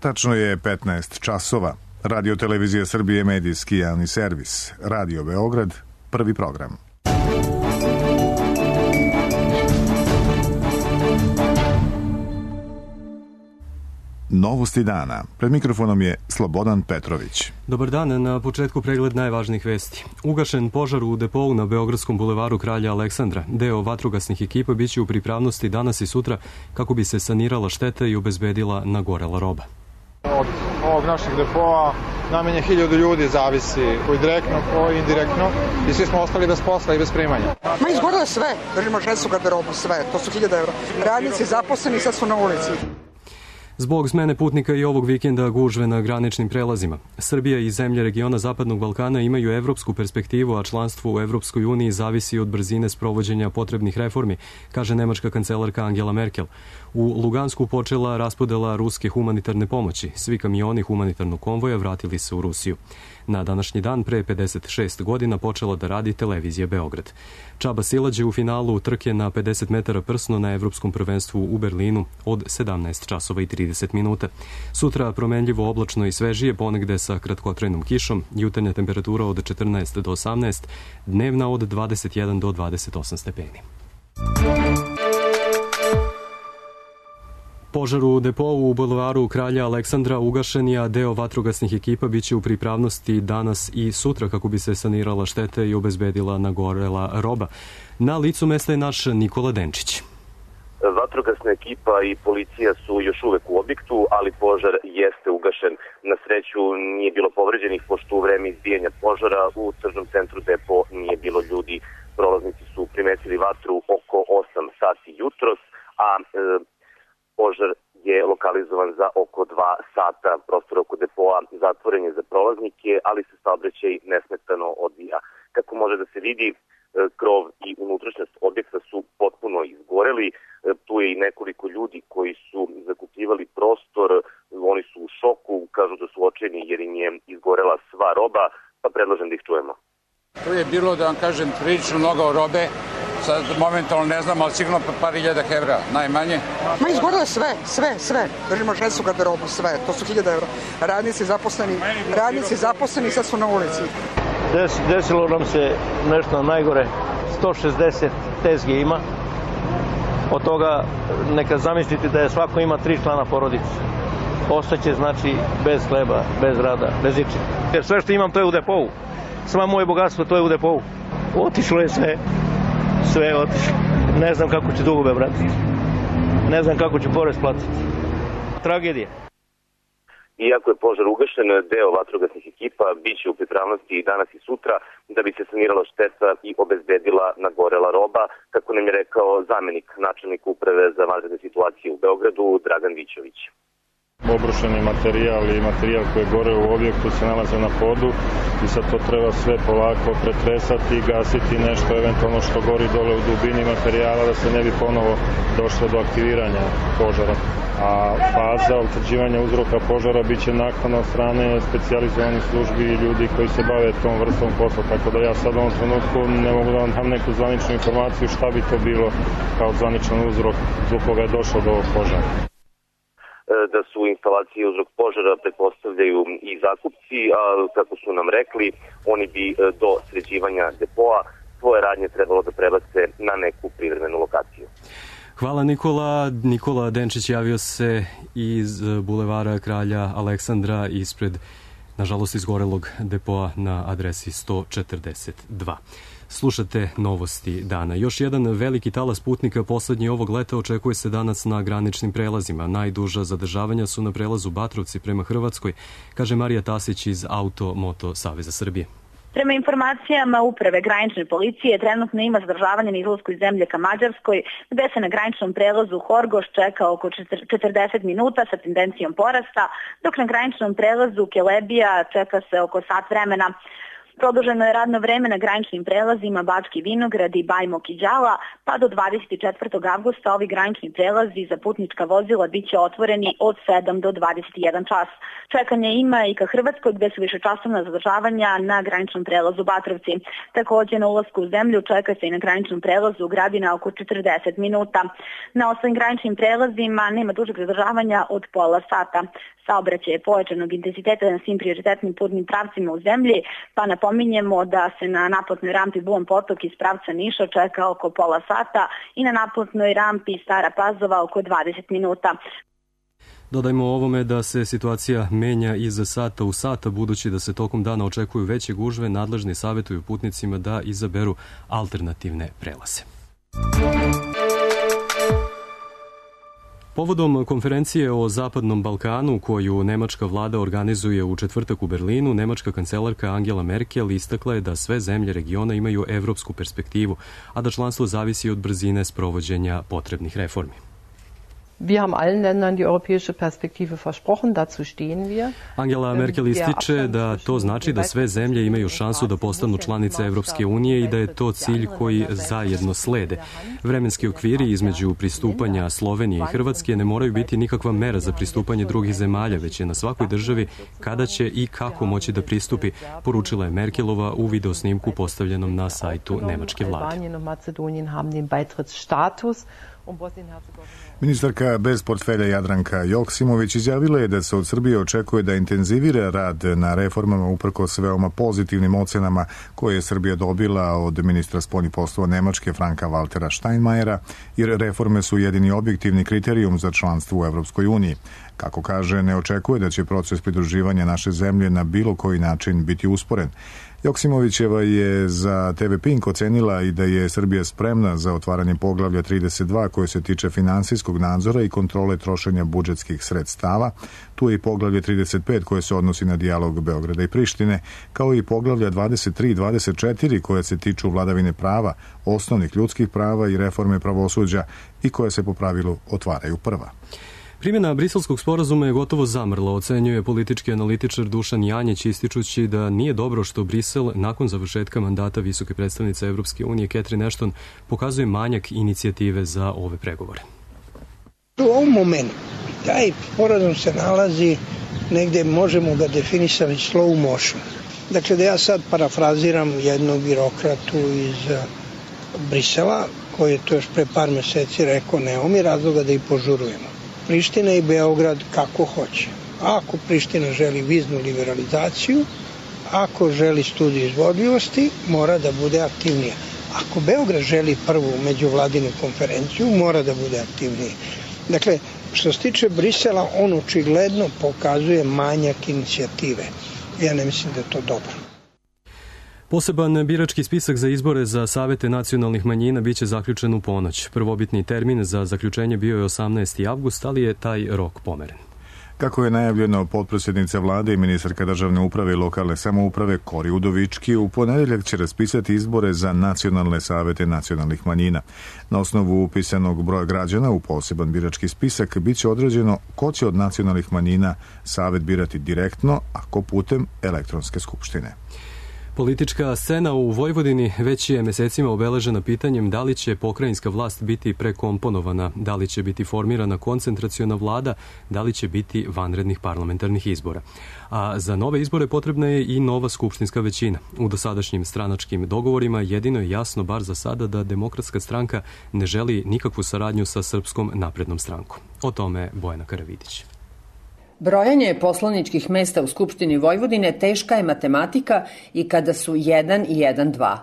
Tačno je 15 časova. Radio Televizija Srbije, medijski javni servis. Radio Beograd, prvi program. Novosti dana. Pred mikrofonom je Slobodan Petrović. Dobar dan, na početku pregled najvažnijih vesti. Ugašen požar u depou na Beogradskom bulevaru Kralja Aleksandra. Deo vatrogasnih ekipa biće u pripravnosti danas i sutra kako bi se sanirala šteta i obezbedila nagorela roba. Od ovog našeg depoa najmanje 1000 ljudi zavisi, koji direktno, koji indirektno, i svi smo ostali bez posla i bez primanja. Izgorelo je sve, držimo željezničku garderobu, sve, to su 1000 evra. Radnici zaposleni sad su na ulici. Zbog smene putnika i ovog vikenda gužve na graničnim prelazima. Srbija i zemlje regiona Zapadnog Balkana imaju evropsku perspektivu, a članstvo u Evropskoj uniji zavisi od brzine sprovođenja potrebnih reformi, kaže nemačka kancelarka Angela Merkel. U Lugansku počela raspodela ruske humanitarne pomoći. Svi kamioni humanitarnog konvoja vratili se u Rusiju. Na današnji dan pre 56 godina počela da radi televizija Beograd. Čaba Silać je u finalu trke na 50 metara prsno na Evropskom prvenstvu u Berlinu od 17 časova i 30 minuta. Sutra promenljivo oblačno i svežije, ponegde sa kratkotrajnom kišom, jutarnja temperatura od 14 do 18, dnevna od 21 do 28 stepeni. Požar u depou u bulevaru Kralja Aleksandra ugašen je, a deo vatrogasnih ekipa biće u pripravnosti danas i sutra kako bi se sanirala šteta i obezbedila nagorela roba. Na licu mesta je naš Nikola Denčić. Vatrogasna ekipa i policija su još uvek u objektu, ali požar jeste ugašen. Na sreću nije bilo povređenih, pošto u vreme izbijanja požara u tržnom centru depo nije bilo ljudi. Prolaznici su primetili vatru oko 8 sati jutros, a požar je lokalizovan za oko 2 sata. Prostor oko depoa zatvoren je za prolaznike, ali se saobraćaj nesmetano odvija. Kako može da se vidi, krov i unutrašnjost objekta su potpuno izgoreli. Tu je i nekoliko ljudi koji su zakupljivali prostor. Oni su u šoku, kažu da su očajni jer im je izgorela sva roba, pa predlažem da ih čujemo. Tu je bilo, da vam kažem, prilično mnogo robe. Sad momentalno ne znam, ali sigurno par hiljada evra, najmanje. Izgorelo je sve. Držimo željezničku garderobu, sve, to su 1000 evra. Radnici zaposleni sad su na ulici. Desilo nam se nešto najgore. 160 tezge ima. Od toga neka zamislite da je svako ima 3 člana porodice. Ostaće znači bez hleba, bez rada, bez ičega. Jer sve što imam to je u depou. Sva moje bogatstvo to je u depou. Otišlo je sve. Sve je otišlo. Ne znam kako ću dugove vratiti. Ne znam kako ću porez platiti. Tragedija. Iako je požar ugašen, deo vatrogasnih ekipa biće u pripravnosti i danas i sutra da bi se sanirala šteta i obezbedila nagorela roba, kako nam je rekao zamenik načelnika uprave za vanredne situacije u Beogradu, Dragan Vićović. Obrušeni materijal i materijal koji je gore u objektu se nalaze na podu i sad to treba sve polako pretresati i gasiti nešto eventualno što gori dole u dubini materijala da se ne bi ponovo došlo do aktiviranja požara. A faza utvrđivanja uzroka požara biće nakon od strane specijalizovanih službi i ljudi koji se bave tom vrstom posla, tako da ja sad u ovom trenutku ne mogu da vam dam neku zvaničnu informaciju šta bi to bilo kao zvaničan uzrok zbog koga je došlo do ovog požara. Da su instalacije uzrok požara pretpostavljaju i zakupci, a kako su nam rekli, oni bi do sređivanja depoa svoje radnje trebalo da prebace na neku privremenu lokaciju. Hvala Nikola. Nikola Denčić javio se iz bulevara Kralja Aleksandra ispred, nažalost, izgorelog depoa na adresi 142. Slušate novosti dana. Još jedan veliki talas putnika poslednji ovog leta očekuje se danas na graničnim prelazima. Najduža zadržavanja su na prelazu Batrovci prema Hrvatskoj, kaže Marija Tasić iz Auto-Moto Saveza Srbije. Prema informacijama Uprave granične policije, trenutno ima zadržavanje na izlasku iz zemlje ka Mađarskoj, gde se na graničnom prelazu Horgoš čeka oko 40 minuta sa tendencijom porasta, dok na graničnom prelazu Kelebija čeka se oko sat vremena. Produženo je radno vreme na graničnim prelazima Bački Vinograd i Bajmok i Đala, pa do 24. avgusta ovi granični prelazi za putnička vozila biće otvoreni od 7 do 21 čas. Čekanje ima i ka Hrvatskoj gde su višečasovna zadržavanja na graničnom prelazu Batrovci. Takođe na ulasku u zemlju čeka se i na graničnom prelazu Gradina oko 40 minuta. Na ostalim graničnim prelazima nema dužeg zadržavanja od pola sata. Saobraćaj je pojačanog intenziteta na svim prioritetnim putnim pravcima u zemlji, pa napominjemo da se na naplatnoj rampi Bulan Potok iz pravca Niša čeka oko pola sata i na naplatnoj rampi Stara Pazova oko 20 minuta. Dodajmo ovome da se situacija menja iz sata u sata, budući da se tokom dana očekuju veće gužve, nadležni savjetuju putnicima da izaberu alternativne prelaze. Povodom konferencije o Zapadnom Balkanu koju nemačka vlada organizuje u četvrtak u Berlinu, nemačka kancelarka Angela Merkel istakla je da sve zemlje regiona imaju evropsku perspektivu, a da članstvo zavisi od brzine sprovođenja potrebnih reformi. Wir haben allen Ländern die europäische Perspektive versprochen, dazu stehen wir. Angela Merkel ističe da to znači da sve zemlje imaju šansu da postanu članice Evropske unije i da je to cilj koji zajedno slede. Vremenski okviri između pristupanja Slovenije i Hrvatske ne moraju biti nikakva mera za pristupanje drugih zemalja, već je na svakoj državi kada će i kako moći da pristupi, poručila je Merkelova u videosnimku postavljenom na sajtu nemačke vlade. Ministarka bez portfelja Jadranka Joksimović izjavila je da se od Srbije očekuje da intenzivira rad na reformama uprkos veoma pozitivnim ocenama koje je Srbija dobila od ministra spoljnih poslova Nemačke Franka Waltera Steinmeiera, jer reforme su jedini objektivni kriterijum za članstvo u Evropskoj uniji. Kako kaže, ne očekuje da će proces pridruživanja naše zemlje na bilo koji način biti usporen. Joksimovićeva je za TV Pink ocenila i da je Srbija spremna za otvaranje poglavlja 32 koje se tiče finansijskog nadzora i kontrole trošenja budžetskih sredstava. Tu je i poglavlje 35 koje se odnosi na dijalog Beograda i Prištine, kao i poglavlja 23 i 24 koje se tiču vladavine prava, osnovnih ljudskih prava i reforme pravosuđa i koje se po pravilu otvaraju prva. Primjena briselskog sporazuma je gotovo zamrla, ocenjuje politički analitičar Dušan Janjić, ističući da nije dobro što Brisel, nakon završetka mandata visoke predstavnice Evropske unije Catherine Ashton, pokazuje manjak inicijative za ove pregovore. U ovom momentu taj sporazum se nalazi negde, možemo ga definisati slow motion. Dakle, da ja sad parafraziram jednog birokratu iz Brisela, koji je to još pre par meseci rekao, nemamo mi razloga da ih požurujemo. Priština i Beograd kako hoće. Ako Priština želi viznu liberalizaciju, ako želi studiju izvodljivosti, mora da bude aktivnija. Ako Beograd želi prvu međuvladinu konferenciju, mora da bude aktivniji. Dakle, što se tiče Brisela, on očigledno pokazuje manjak inicijative. Ja ne mislim da je to dobro. Poseban birački spisak za izbore za savete nacionalnih manjina biće zaključen u ponoć. Prvobitni termin za zaključenje bio je 18. avgust, ali je taj rok pomeren. Kako je najavljeno, potpredsjednica vlade i ministarka državne uprave i lokalne samouprave Kori Udovički u ponedeljak će raspisati izbore za nacionalne savete nacionalnih manjina. Na osnovu upisanog broja građana u poseban birački spisak biće određeno ko će od nacionalnih manjina savet birati direktno, a ko putem elektronske skupštine. Politička scena u Vojvodini već je mesecima obeležena pitanjem da li će pokrajinska vlast biti prekomponovana, da li će biti formirana koncentraciona vlada, da li će biti vanrednih parlamentarnih izbora. A za nove izbore potrebna je i nova skupštinska većina. U dosadašnjim stranačkim dogovorima jedino je jasno, bar za sada, da Demokratska stranka ne želi nikakvu saradnju sa Srpskom naprednom strankom. O tome Bojana Karavidić. Brojanje poslaničkih mesta u Skupštini Vojvodine teška je matematika i kada su 1 i 1 2.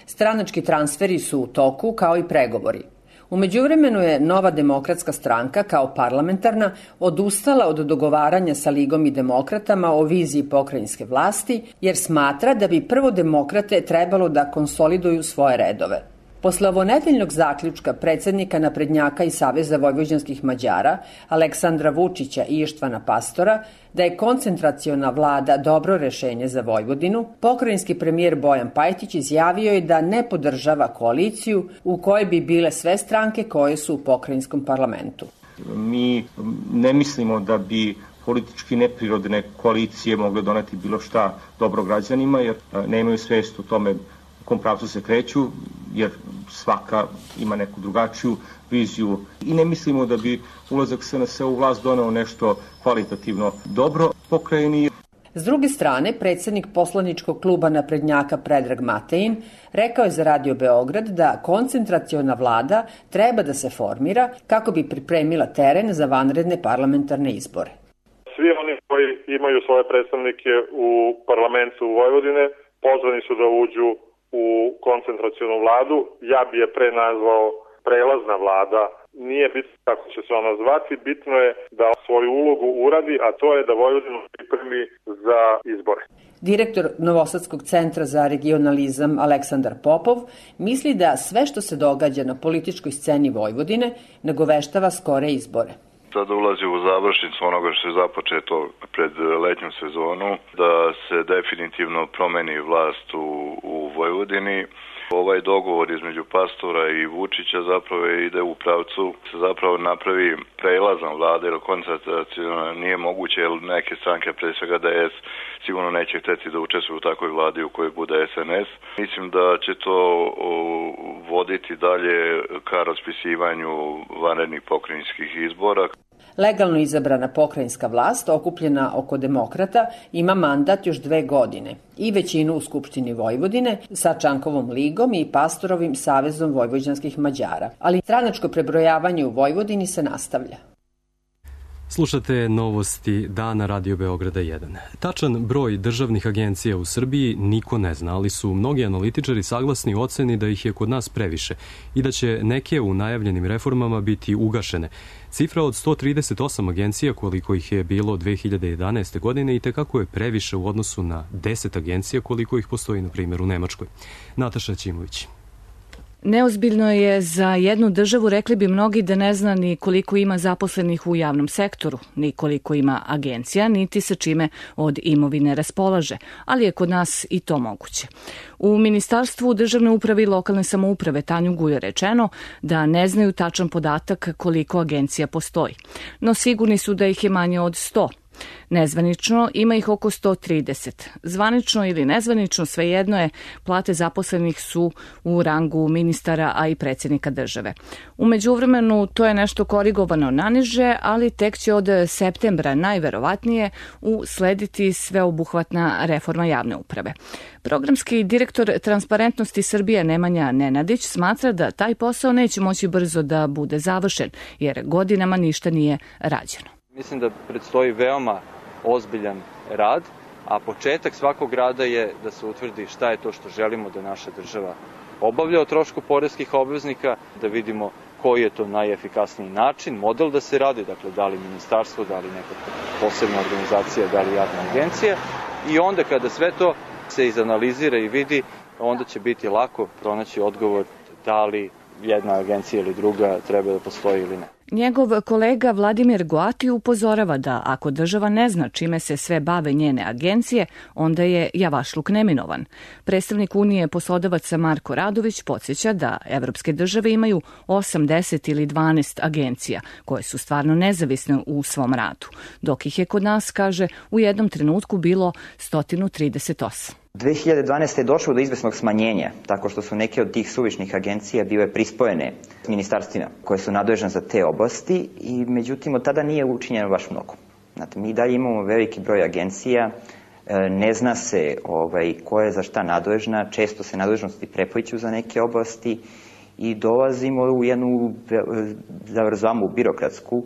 Stranački transferi su u toku kao i pregovori. U međuvremenu je Nova demokratska stranka kao parlamentarna odustala od dogovaranja sa Ligom i demokratama o viziji pokrajinske vlasti jer smatra da bi prvo demokrate trebalo da konsoliduju svoje redove. Posle ovonedeljnog zaključka predsednika naprednjaka i Saveza vojvođanskih Mađara, Aleksandra Vučića i Ištvana Pastora, da je koncentraciona vlada dobro rešenje za Vojvodinu, pokrajinski premijer Bojan Pajtić izjavio je da ne podržava koaliciju u kojoj bi bile sve stranke koje su u pokrajinskom parlamentu. Mi ne mislimo da bi politički neprirodne koalicije mogle doneti bilo šta dobro građanima, jer nemaju svest o tome u kom pravcu se kreću, jer svaka ima neku drugačiju viziju i ne mislimo da bi ulazak SNS u vlast doneo nešto kvalitativno dobro pokrajini. S druge strane, predsjednik poslaničkog kluba naprednjaka Predrag Matejin rekao je za Radio Beograd da koncentraciona vlada treba da se formira kako bi pripremila teren za vanredne parlamentarne izbore. Svi oni koji imaju svoje predstavnike u parlamentu Vojvodine pozvani su da uđu u koncentracionu vladu. Ja bi je pre nazvao prelazna vlada. Nije bitno kako će se ona zvati, bitno je da svoju ulogu uradi, a to je da Vojvodinu pripremi za izbore. Direktor Novosadskog centra za regionalizam Aleksandar Popov misli da sve što se događa na političkoj sceni Vojvodine nagoveštava skore izbore. Sada ulazi u završnicu onoga što je započeto pred letnjom sezonu, da se definitivno promeni vlast u Vojvodini. Ovaj dogovor između Pastora i Vučića zapravo ide u pravcu se zapravo napravi prelazna vlada, jer koncentracija nije moguće, jer neke stranke, pre svega DS, sigurno neće hteti da učestvuju u takvoj vladi u kojoj bude SNS. Mislim da će to voditi dalje ka raspisivanju vanrednih pokrajinskih izbora. Legalno izabrana pokrajinska vlast, okupljena oko demokrata, ima mandat još 2 godine i većinu u Skupštini Vojvodine sa Čankovom ligom i Pastorovim savezom vojvođanskih Mađara. Ali stranačko prebrojavanje u Vojvodini se nastavlja. Slušate novosti dana Radio Beograda 1. Tačan broj državnih agencija u Srbiji niko ne zna, ali su mnogi analitičari saglasni u oceni da ih je kod nas previše i da će neke u najavljenim reformama biti ugašene. Cifra od 138 agencija, koliko ih je bilo 2011. godine, i tekako je previše u odnosu na 10 agencija koliko ih postoji, na primjer, u Nemačkoj. Nataša Ćimović. Neozbiljno je za jednu državu, rekli bi mnogi, da ne zna ni koliko ima zaposlenih u javnom sektoru, ni koliko ima agencija, niti sa čime od imovine raspolaže, ali je kod nas i to moguće. U Ministarstvu državne uprave i lokalne samouprave Tanju Gujo rečeno da ne znaju tačan podatak koliko agencija postoji, no sigurni su da ih je manje od 100. Nezvanično ima ih oko 130. Zvanično ili nezvanično, svejedno je, plate zaposlenih su u rangu ministara, a i predsjednika države. U međuvremenu to je nešto korigovano naniže, ali tek će od septembra najverovatnije uslediti sveobuhvatna reforma javne uprave. Programski direktor Transparentnosti Srbije Nemanja Nenadić smatra da taj posao neće moći brzo da bude završen, jer godinama ništa nije rađeno. Mislim da predstoji veoma ozbiljan rad, a početak svakog rada je da se utvrdi šta je to što želimo da naša država obavlja o trošku poreskih obveznika, da vidimo koji je to najefikasniji način, model da se radi, dakle da li ministarstvo, da li neka posebna organizacija, da li javna agencija, i onda kada sve to se izanalizira i vidi, onda će biti lako pronaći odgovor da li jedna agencija ili druga treba da postoji ili ne. Njegov kolega Vladimir Goati upozorava da ako država ne zna čime se sve bave njene agencije, onda je javašluk neminovan. Predstavnik Unije poslodavaca Marko Radović podsjeća da evropske države imaju 8, 10 ili 12 agencija koje su stvarno nezavisne u svom radu, dok ih je kod nas, kaže, u jednom trenutku bilo 138. 2012. je došlo do izvesnog smanjenja, tako što su neke od tih suvišnih agencija bile prispojene ministarstvima koje su nadležne za te oblasti, i međutim od tada nije učinjeno baš mnogo. Znate, mi dalje imamo veliki broj agencija, ne zna se ko je za šta nadležna, često se nadležnosti prepliću za neke oblasti i dolazimo u jednu zavrzlamu birokratsku,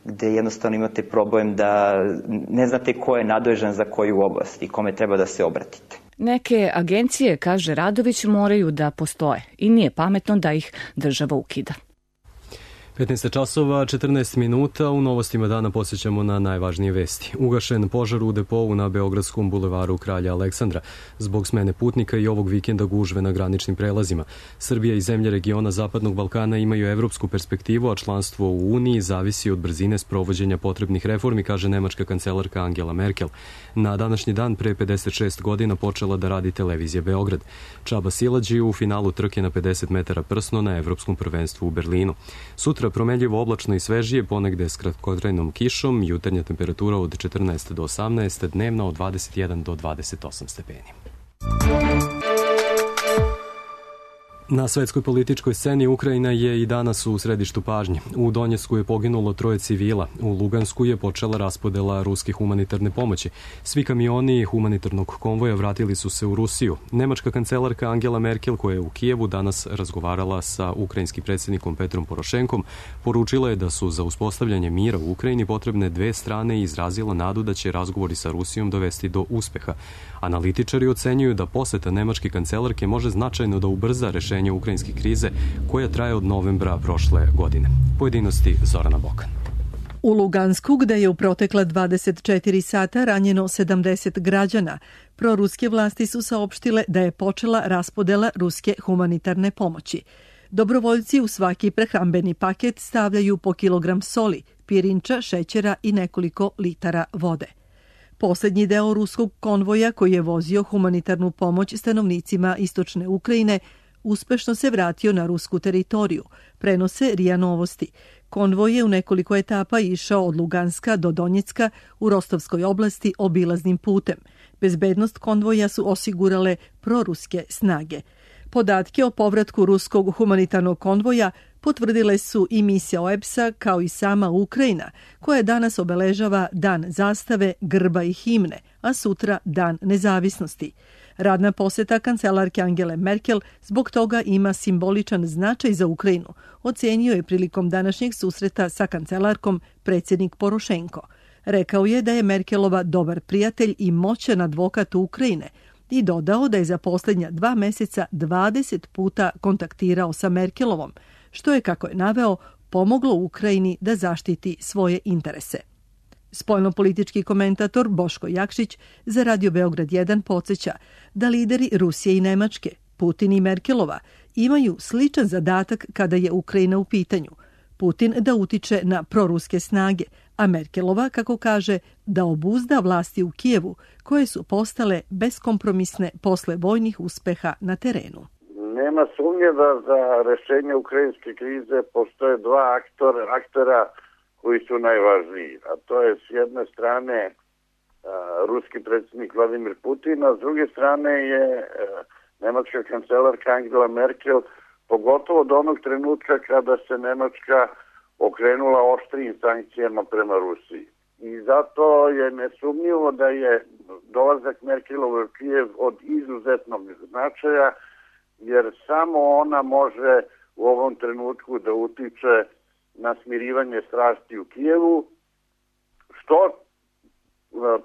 gde jednostavno imate problem da ne znate ko je nadležan za koju oblast i kome treba da se obratite. Neke agencije, kaže Radović, moraju da postoje i nije pametno da ih država ukida. 15 časova, 14 minuta, u novostima dana posjećamo na najvažnije vesti. Ugašen požar u depou na Beogradskom bulevaru Kralja Aleksandra. Zbog smene putnika i ovog vikenda gužve na graničnim prelazima. Srbija i zemlje regiona Zapadnog Balkana imaju evropsku perspektivu, a članstvo u Uniji zavisi od brzine sprovođenja potrebnih reformi, kaže nemačka kancelarka Angela Merkel. Na današnji dan pre 56 godina počela da radi televizija Beograd. Čaba Silađi u finalu trke na 50 metara prsno na evropskom prvenstvu u Berlinu. Sutra sutra promenljivo oblačno i svežije, ponegde s kratkotrajnom kišom, jutarnja temperatura od 14 do 18, dnevna od 21 do 28 stepeni. Na svetskoj političkoj sceni Ukrajina je i danas u središtu pažnje. U Donjecku je poginulo 3 civila. U Lugansku je počela raspodela ruske humanitarne pomoći. Svi kamioni humanitarnog konvoja vratili su se u Rusiju. Nemačka kancelarka Angela Merkel, koja je u Kijevu danas razgovarala sa ukrajinskim predsjednikom Petrom Porošenkom, poručila je da su za uspostavljanje mira u Ukrajini potrebne 2 strane i izrazila nadu da će razgovori sa Rusijom dovesti do uspeha. Analitičari ocenjuju da poseta nemačke kancelarke može značajno da ubrza rešenje ukrajinske krize koja traje od novembra prošle godine. Pojedinosti Zorana Bokan. U Lugansku, gde je u protekla 24 sata ranjeno 70 građana, proruske vlasti su saopštile da je počela raspodela ruske humanitarne pomoći. Dobrovoljci u svaki prehrambeni paket stavljaju po kilogram soli, pirinča, šećera i nekoliko litara vode. Poslednji deo ruskog konvoja koji je vozio humanitarnu pomoć stanovnicima istočne Ukrajine uspešno se vratio na rusku teritoriju, prenose RIA Novosti. Konvoj je u nekoliko etapa išao od Luganska do Donjecka u Rostovskoj oblasti obilaznim putem. Bezbednost konvoja su osigurale proruske snage. Podatke o povratku ruskog humanitarnog konvoja potvrdile su i misija OEBS-a kao i sama Ukrajina, koja danas obeležava Dan zastave, grba i himne, a sutra Dan nezavisnosti. Radna poseta kancelarke Angele Merkel zbog toga ima simboličan značaj za Ukrajinu, ocenio je prilikom današnjeg susreta sa kancelarkom predsjednik Porošenko. Rekao je da je Merkelova dobar prijatelj i moćan advokat Ukrajine i dodao da je za posljednja 2 meseca 20 puta kontaktirao sa Merkelovom, što je, kako je naveo, pomoglo Ukrajini da zaštiti svoje interese. Spoljnopolitički komentator Boško Jakšić za Radio Beograd 1 podsjeća da lideri Rusije i Nemačke, Putin i Merkelova, imaju sličan zadatak kada je Ukrajina u pitanju. Putin da utiče na proruske snage, a Merkelova, kako kaže, da obuzda vlasti u Kijevu, koje su postale beskompromisne posle vojnih uspeha na terenu. Nema sumnje da za rešenje ukrajinske krize postoje 2 aktera koji su najvažniji, a to je s jedne strane ruski predsjednik Vladimir Putin, a s druge strane je nemačka kancelarka Angela Merkel, pogotovo od onog trenutka kada se Nemačka okrenula oštrijim sankcijama prema Rusiji. I zato je nesumnjivo da je dolazak Merkelove u Kijev od izuzetnog značaja, jer samo ona može u ovom trenutku da utiče na smirivanje strasti u Kijevu, što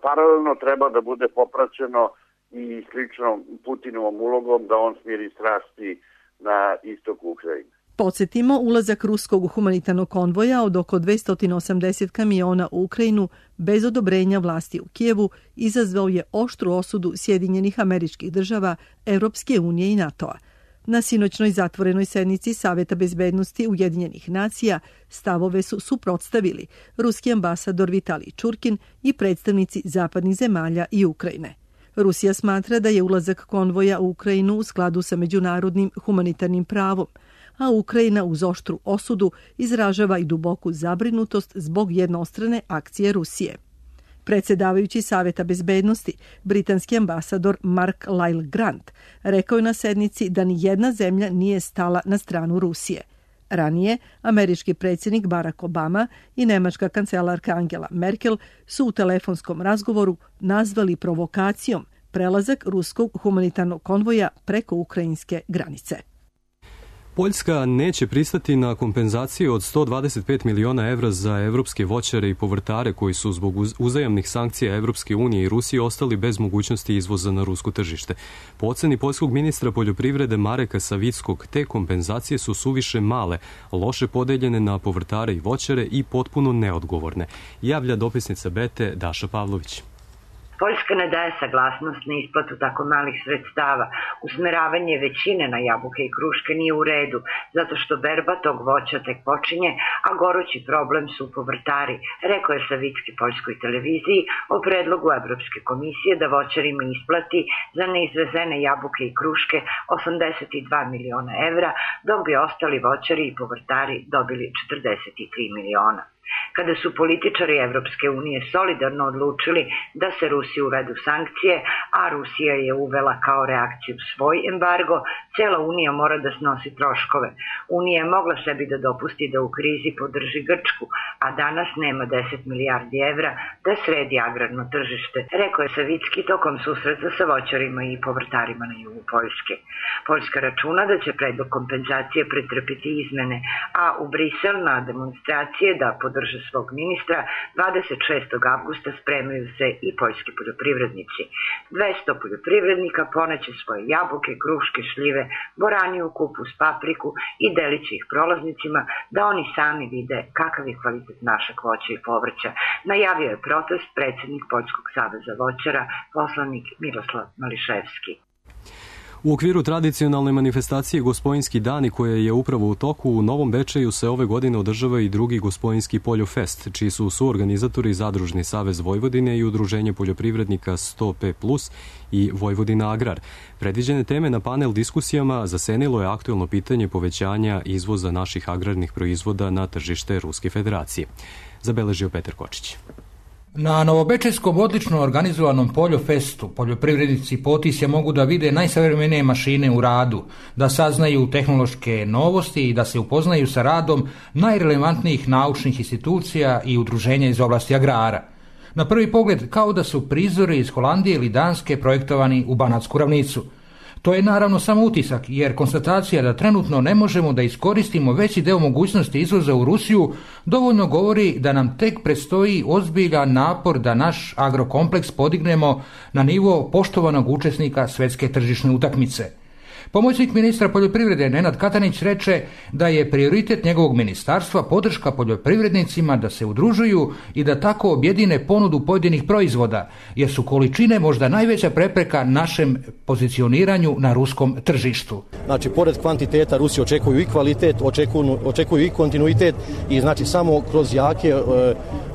paralelno treba da bude popraćeno i sličnom Putinovim ulogom da on smiri strasti na istoku Ukrajine. Podsjetimo, ulazak ruskog humanitarnog konvoja od oko 280 kamiona u Ukrajinu bez odobrenja vlasti u Kijevu izazvao je oštru osudu Sjedinjenih Američkih Država, Evropske unije i NATO-a. Na sinoćnoj zatvorenoj sednici Saveta bezbednosti Ujedinjenih nacija stavove su suprotstavili ruski ambasador Vitalij Čurkin i predstavnici zapadnih zemalja i Ukrajine. Rusija smatra da je ulazak konvoja u Ukrajinu u skladu sa međunarodnim humanitarnim pravom, a Ukrajina uz oštru osudu izražava i duboku zabrinutost zbog jednostrane akcije Rusije. Predsjedavajući Saveta bezbednosti, britanski ambasador Mark Lyle Grant, rekao je na sednici da ni jedna zemlja nije stala na stranu Rusije. Ranije, američki predsjednik Barack Obama i nemačka kancelarka Angela Merkel su u telefonskom razgovoru nazvali provokacijom prelazak ruskog humanitarnog konvoja preko ukrajinske granice. Poljska neće pristati na kompenzaciju od 125 miliona evra za evropske voćare i povrtare koji su zbog uzajamnih sankcija Evropske unije i Rusije ostali bez mogućnosti izvoza na rusko tržište. Po oceni poljskog ministra poljoprivrede Mareka Savickog, te kompenzacije su suviše male, loše podeljene na povrtare i voćare i potpuno neodgovorne, javlja dopisnica Bete Daša Pavlović. Poljska ne daje saglasnost na isplatu tako malih sredstava. Usmeravanje većine na jabuke i kruške nije u redu, zato što berba tog voća tek počinje, a gorući problem su povrtari, rekao je Savicki poljskoj televiziji o predlogu Evropske komisije da voćarima isplati za neizvezene jabuke i kruške 82 miliona evra, dok bi ostali voćari i povrtari dobili 43 miliona. Kada su političari Evropske unije solidarno odlučili da se Rusiji uvedu sankcije, a Rusija je uvela kao reakciju svoj embargo, cela Unija mora da snosi troškove. Unija je mogla sebi da dopusti da u krizi podrži Grčku, a danas nema 10 milijardi evra da sredi agrarno tržište, rekao je Savicki tokom susreta sa voćarima i povrtarima na jugu Poljske. Poljska računa da će predlog kompenzacije pretrpiti izmene, a u Brisel na demonstracije da podrže svog ministra 26. avgusta spremaju se i poljski poljoprivrednici. 200 poljoprivrednika poneće svoje jabuke, kruške, šljive, boraniju, kupus, papriku i deliće ih prolaznicima da oni sami vide kakav je kvalitet našeg voća i povrća. Najavio je protest predsjednik Poljskog saveza voćara, poslanik Miroslav Mališevski. U okviru tradicionalne manifestacije Gospojinski dani, koja je upravo u toku, u Novom Bečeju se ove godine održava i drugi Gospojinski poljofest, čiji su suorganizatori Zadružni savez Vojvodine i Udruženje poljoprivrednika 100P+, i Vojvodina Agrar. Predviđene teme na panel diskusijama zasenilo je aktuelno pitanje povećanja izvoza naših agrarnih proizvoda na tržište Ruske federacije. Zabeležio Petar Kočić. Na novobečejskom odlično organizovanom poljofestu poljoprivrednici Potisja mogu da vide najsavremenije mašine u radu, da saznaju tehnološke novosti i da se upoznaju sa radom najrelevantnijih naučnih institucija i udruženja iz oblasti agrara. Na prvi pogled kao da su prizori iz Holandije ili Danske projektovani u Banatsku ravnicu. To je naravno samo utisak, jer konstatacija da trenutno ne možemo da iskoristimo veći deo mogućnosti izvoza u Rusiju dovoljno govori da nam tek predstoji ozbiljan napor da naš agrokompleks podignemo na nivo poštovanog učesnika svetske tržišne utakmice. Pomoćnik ministra poljoprivrede Nenad Katanić reče da je prioritet njegovog ministarstva podrška poljoprivrednicima da se udružuju i da tako objedine ponudu pojedinih proizvoda, jer su količine možda najveća prepreka našem pozicioniranju na ruskom tržištu. Znači, pored kvantiteta Rusi očekuju i kvalitet, očekuju i kontinuitet i znači samo kroz jake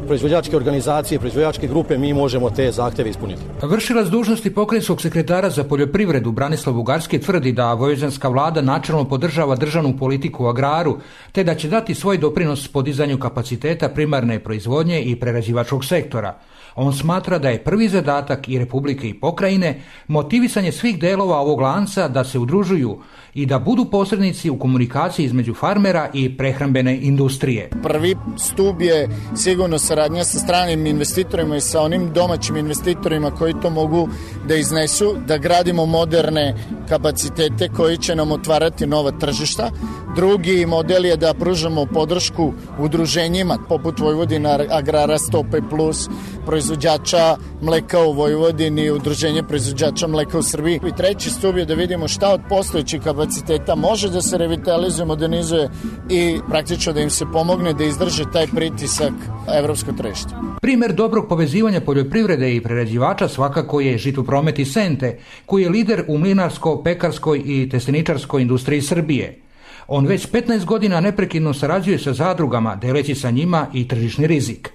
proizvođačke organizacije, proizvođačke grupe mi možemo te zahteve ispuniti. Vršilac dužnosti pokrajinskog sekretara za poljoprivredu Branislav Bugarski tvrdi da vojvođanska vlada načelno podržava državnu politiku u agraru, te da će dati svoj doprinos podizanju kapaciteta primarne proizvodnje i prerađivačkog sektora. On smatra da je prvi zadatak i Republike i pokrajine motivisanje svih delova ovog lanca da se udružuju i da budu posrednici u komunikaciji između farmera i prehrambene industrije. Prvi stub je sigurno saradnja sa stranim investitorima i sa onim domaćim investitorima koji to mogu da iznesu, da gradimo moderne kapacitete koji će nam otvarati nova tržišta. Drugi model je da pružamo podršku udruženjima poput Vojvodina Agrara 100P+, proizvođača mleka u Vojvodini, udruženje proizvođača mleka u Srbiji. I treći stub je da vidimo šta od postojećih kapaciteta može da se revitalizuje, modernizuje i praktično da im se pomogne da izdrže taj pritisak evropskog tržišta. Primer dobrog povezivanja poljoprivrede i prerađivača svakako je Žitopromet iz Sente, koji je lider u mlinarsko-pekarskoj i testeničarskoj industriji Srbije. On već 15 godina neprekidno sarađuje sa zadrugama, deleći sa njima i tržišni rizik.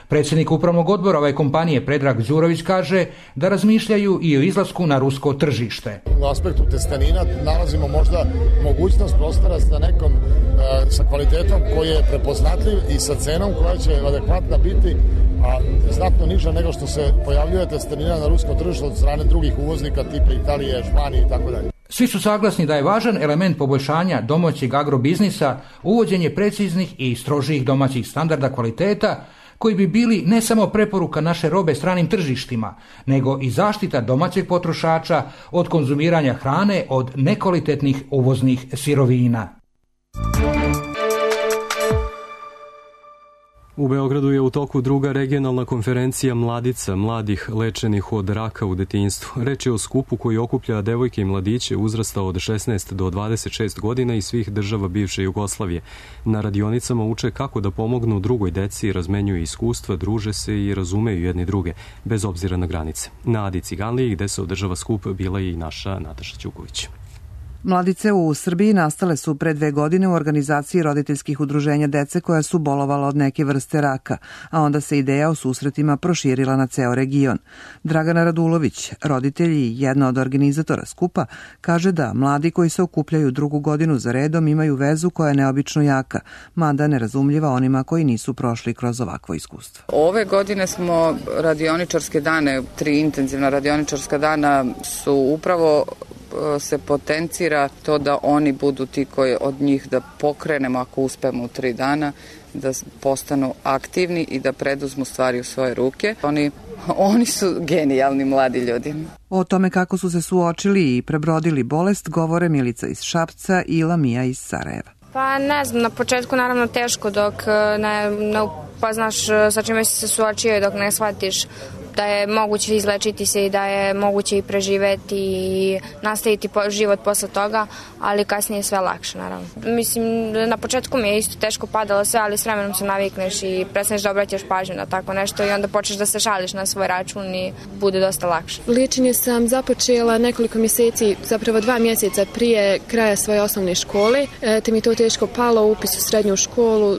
Predsjednik upravnog odbora ove kompanije Predrag Đurović kaže da razmišljaju i o izlasku na rusko tržište. U aspektu testenina nalazimo možda mogućnost prostora sa nekom sa kvalitetom koji je prepoznatljiv i sa cenom koja će adekvatna biti, a znatno niža nego što se pojavljuje testenina na ruskom tržištu od strane drugih uvoznika tipa Italije, Španije i tako dalje. Svi su saglasni da je važan element poboljšanja domaćeg agrobiznisa uvođenje preciznih i strožijih domaćih standarda kvaliteta, koji bi bili ne samo preporuka naše robe stranim tržištima, nego i zaštita domaćeg potrošača od konzumiranja hrane od nekvalitetnih uvoznih sirovina. U Beogradu je u toku druga regionalna konferencija mladica, mladih lečenih od raka u detinjstvu. Reč je o skupu koji okuplja devojke i mladiće uzrasta od 16 do 26 godina iz svih država bivše Jugoslavije. Na radionicama uče kako da pomognu drugoj deci, razmenjuju iskustva, druže se i razumeju jedni druge, bez obzira na granice. Na Adi Ciganliji, gde se održava skup, bila je i naša Nataša Ćuković. Mladice u Srbiji nastale su pre 2 godine u organizaciji roditeljskih udruženja dece koja su bolovala od neke vrste raka, a onda se ideja o susretima proširila na ceo region. Dragana Radulović, roditelj i jedna od organizatora skupa, kaže da mladi koji se okupljaju 2. godinu za redom imaju vezu koja je neobično jaka, mada nerazumljiva onima koji nisu prošli kroz ovakvo iskustvo. Ove godine smo radioničarske dane, 3 intenzivna radioničarska dana su upravo se potencira to da oni budu ti koji od njih da pokrenemo ako uspemo u 3 dana, da postanu aktivni i da preduzmu stvari u svoje ruke. Oni su genijalni mladi ljudi. O tome kako su se suočili i prebrodili bolest govore Milica iz Šapca i Lamija iz Sarajeva. Pa ne znam, na početku naravno teško dok ne upoznaš sa čime si se suočio i dok ne shvatiš da je moguće izlečiti se i da je moguće i preživeti i nastaviti život posle toga, ali kasnije je sve lakše, naravno. Mislim, na početku mi je isto teško padalo sve, ali s vremenom se navikneš i prestaneš da obraćaš pažnju na tako nešto i onda počneš da se šališ na svoj račun i bude dosta lakše. Liječenje sam započela nekoliko mjeseci, zapravo 2 mjeseca prije kraja svoje osnovne škole, te mi to teško palo, upis u srednju školu,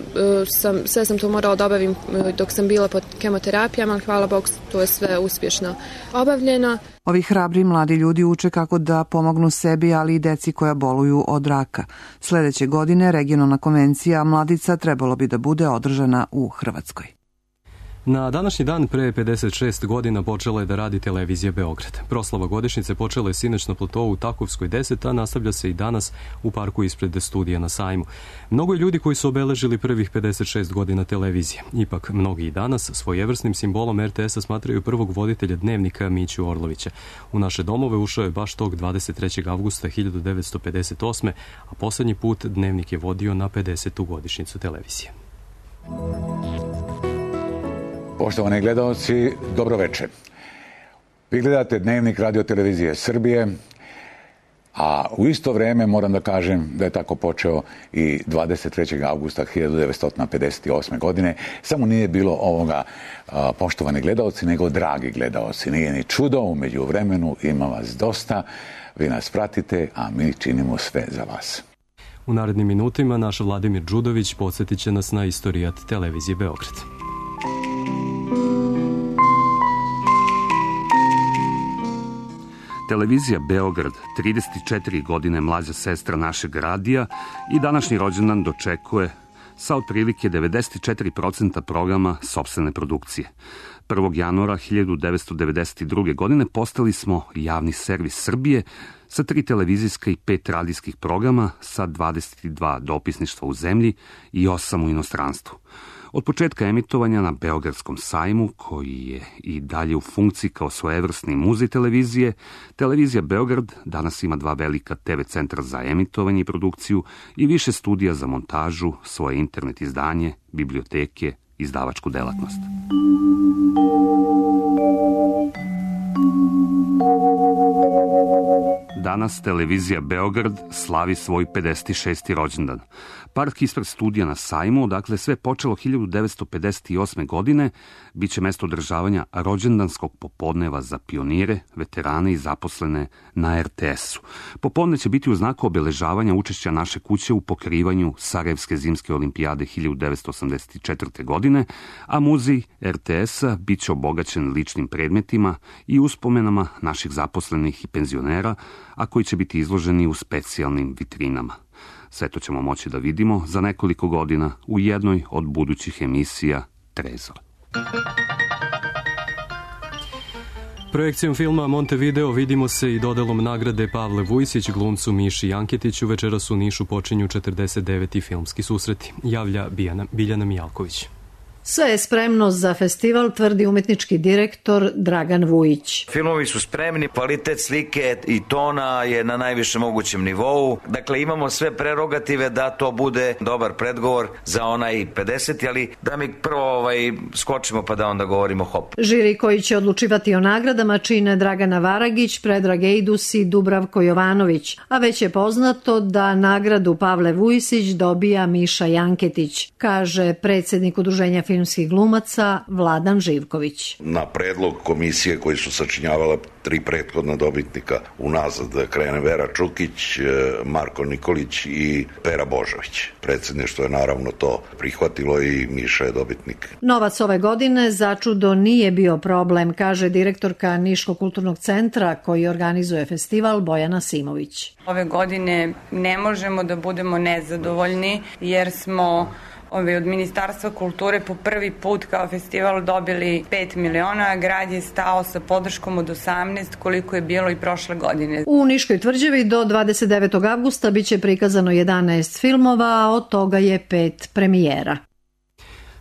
sve sam to morala da obavim dok sam bila pod kemoterapijama, ali hvala Bogu, to je sve uspješno obavljeno. Ovi hrabri mladi ljudi uče kako da pomognu sebi, ali i deci koja boluju od raka. Sledeće godine regionalna konvencija mladica trebalo bi da bude održana u Hrvatskoj. Na današnji dan pre 56 godina počela je da radi televizija Beograd. Proslava godišnjice počela je sinoć na platovu u Takovskoj 10, a nastavlja se i danas u parku ispred studija na Sajmu. Mnogo je ljudi koji su obeležili prvih 56 godina televizije. Ipak, mnogi i danas svojevrsnim simbolom RTS-a smatraju prvog voditelja Dnevnika Miću Orlovića. U naše domove ušao je baš tog 23. avgusta 1958. a poslednji put Dnevnik je vodio na 50. godišnjicu televizije. Poštovani gledalci, dobro večer. Vi gledate Dnevnik Radio-televizije Srbije, a u isto vreme moram da kažem da je tako počeo i 23. avgusta 1958. godine. Samo nije bilo ovoga, poštovani gledalci, nego dragi gledalci. Nije ni čudo, umeđu vremenu ima vas dosta, vi nas pratite, a mi činimo sve za vas. U narednim minutima naš Vladimir Đudović podsjetit će nas na istorijat televizije Beograd. Televizija Beograd, 34 godine mlađa sestra našeg radija i današnji rođendan dočekuje sa otprilike 94% programa sopstvene produkcije. 1. januara 1992. godine postali smo javni servis Srbije sa 3 televizijska i 5 radijskih programa sa 22 dopisništva u zemlji i 8 u inostranstvu. Od početka emitovanja na Beogradskom sajmu, koji je i dalje u funkciji kao svojevrsni muzej televizije, televizija Beograd danas ima 2 velika TV centra za emitovanje i produkciju i više studija za montažu, svoje internet izdanje, biblioteke, izdavačku delatnost. Danas televizija Beograd slavi svoj 56. rođendan. Park ispred studija na Sajmu, odakle sve počelo 1958. godine, bit će mesto održavanja rođendanskog popodneva za pionire, veterane i zaposlene na RTS-u. Popodne će biti u znaku obeležavanja učešća naše kuće u pokrivanju Sarajevske zimske olimpijade 1984. godine, a muzej RTS-a bit će obogaćen ličnim predmetima i uspomenama naših zaposlenih i penzionera, a koji će biti izloženi u specijalnim vitrinama. Sve to ćemo moći da vidimo za nekoliko godina u jednoj od budućih emisija Trezor. Projekcijom filma Montevideo vidimo se i dodelom nagrade Pavle Vujsić glumcu Miši Janketiću. Večeras u Nišu počinju 49. filmski susreti. Javlja Biljana Mijalković. Sve je spremno za festival, tvrdi umetnički direktor Dragan Vujić. Filmovi su spremni, kvalitet slike i tona je na najvišem mogućem nivou. Dakle, imamo sve prerogative da to bude dobar predgovor za onaj 50. ali da mi prvo skočimo pa da onda govorimo hop. Žiri koji će odlučivati o nagradama čine Dragana Varagić, Predrag Ejdus i Dubravko Jovanović, a već je poznato da nagradu Pavle Vujisić dobija Miša Janketić, kaže predsjednik Udruženja filmskih glumaca Vladan Živković. Na predlog komisije koji su sačinjavala 3 prethodna dobitnika unazad krene Vera Čukić, Marko Nikolić i Pera Božović. Predsjedništvo je naravno to prihvatilo i Miša je dobitnik. Novac ove godine začudo nije bio problem, kaže direktorka Niškog kulturnog centra koji organizuje festival Bojana Simović. Ove godine ne možemo da budemo nezadovoljni jer smo od Ministarstva kulture po prvi put kao festival dobili 5 miliona, a grad je stao sa podrškom od 18 koliko je bilo i prošle godine. U Niškoj tvrđavi do 29. avgusta biće prikazano 11 filmova, a od toga je 5 premijera.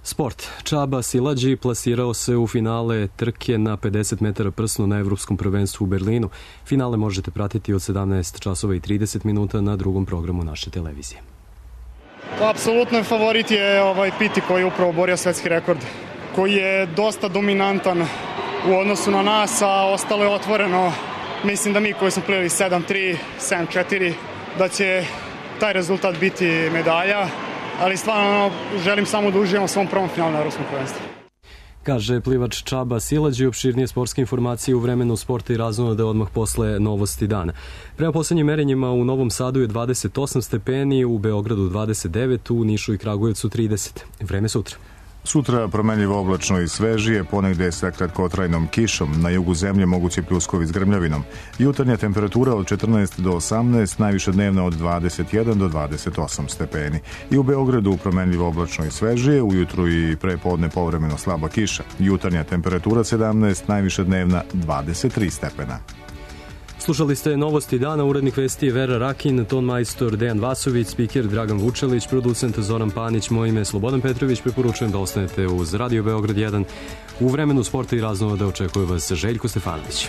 Sport. Čaba Silađi plasirao se u finale trke na 50 metara prsno na Evropskom prvenstvu u Berlinu. Finale možete pratiti od 17 časova i 30 minuta na drugom programu naše televizije. Apsolutno favorit je Piti koji je upravo borio svetski rekord, koji je dosta dominantan u odnosu na nas, a ostalo je otvoreno. Mislim da mi koji smo plivali 7-3, 7-4, da će taj rezultat biti medalja, ali stvarno želim samo da uživam u svom prvom finalu na Evropskom prvenstvu. Kaže plivač Čaba Silađi. Opširnije sportske informacije u vremenu sporta i raznode odmah posle novosti dana. Prema poslednjim merenjima u Novom Sadu je 28 stepeni, u Beogradu 29, u Nišu i Kragujevcu 30. Vreme sutra. Sutra promenljivo oblačno i svežije, ponegde sa kratkotrajnom kišom, na jugu zemlje mogući pljuskovi s grmljavinom. Jutarnja temperatura od 14 do 18, najviša dnevna od 21 do 28 stepeni. I u Beogradu promenljivo oblačno i svežije, ujutru i prepodne povremeno slaba kiša. Jutarnja temperatura 17, najviša dnevna 23 stepena. Slušali ste novosti dana, urednik vesti Vera Rakin, ton majstor Dejan Vasović, spiker Dragan Vučelić, producent Zoran Panić, moje ime Slobodan Petrović. Preporučujem da ostanete uz Radio Beograd 1. U vremenu sporta i raznova da očekuje vas Željko Stefanović.